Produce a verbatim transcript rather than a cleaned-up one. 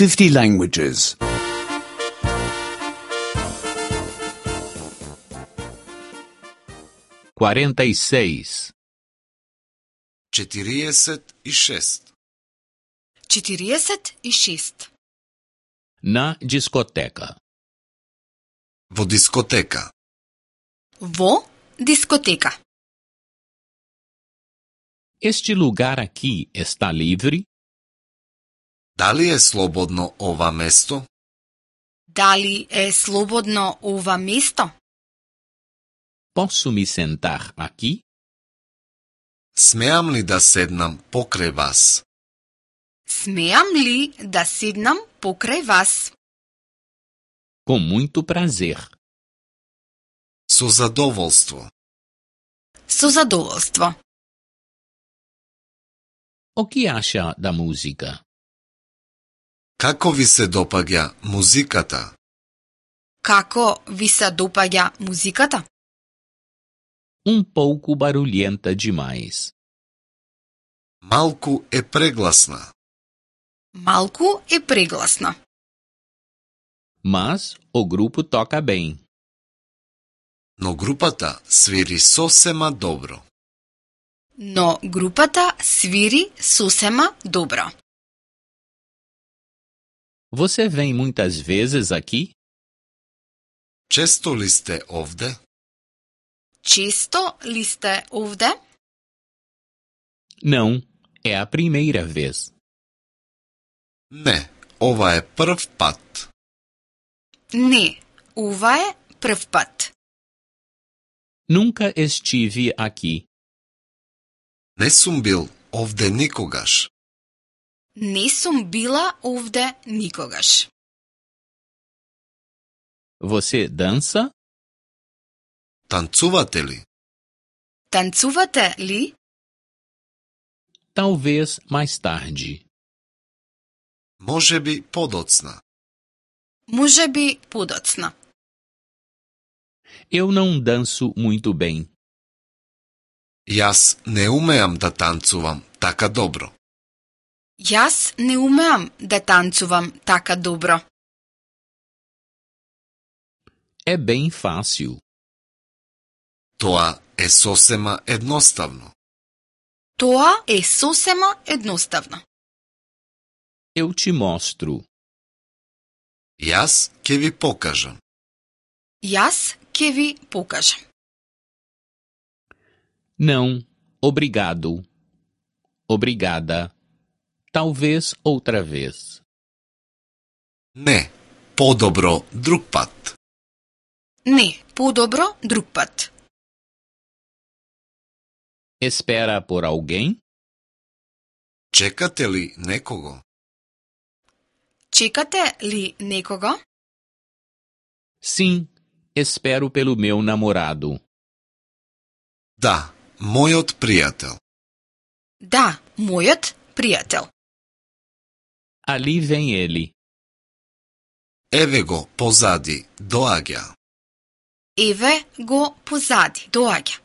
fifty languages. quarenta e seis. четириесет и шест. четириесет и шест. Na discoteca. Во дискотека. Во дискотека. Este lugar aqui está livre? Дали е слободно ова место? Дали е слободно ова место? Posso me sentar aqui? Смеам ли да седнам покрај вас? Смеам ли да седнам покрај вас? Com muito prazer. Со задоволство. Со задоволство. O que acha da música? Како ви се допаѓа музиката? Како ви се допаѓа музиката? Um pouco barulhenta demais. Малку е прегласна. Малку е прегласна. Mas o grupo toca bem. Но групата свири сосема добро. Но групата свири сосема добро. Você vem muitas vezes aqui? Често ли сте овде? Често ли сте овде? Não, é a primeira vez. Не, ова е прв пат. Не, ова е прв пат. Nunca estive aqui. Не сум бил овде никогаш. Не сум била овде никогаш. Você dança? Танцувате ли? Танцувате ли? Talvez mais tarde. Може би подоцна. Може би подоцна. Eu não danço muito bem. Јас не умеам да танцувам така добро. Јас не умеам да танцувам така добро. É bem fácil. Тоа е сосема едноставно. Тоа е сосема едноставно. Eu te mostro. Јас ќе ви покажам. Јас ќе ви покажам. Não, obrigado. Obrigada. Talvez outra vez. Не, подобро друг пат. Не, подобро друг пат. Espera por alguém? Чекате ли некого? Чекате ли некого? Sim, espero pelo meu namorado. Да, мојот пријател. Да, мојот пријател. Ali vem ele. Еве го позади, доаѓа. Еве го позади, доаѓа.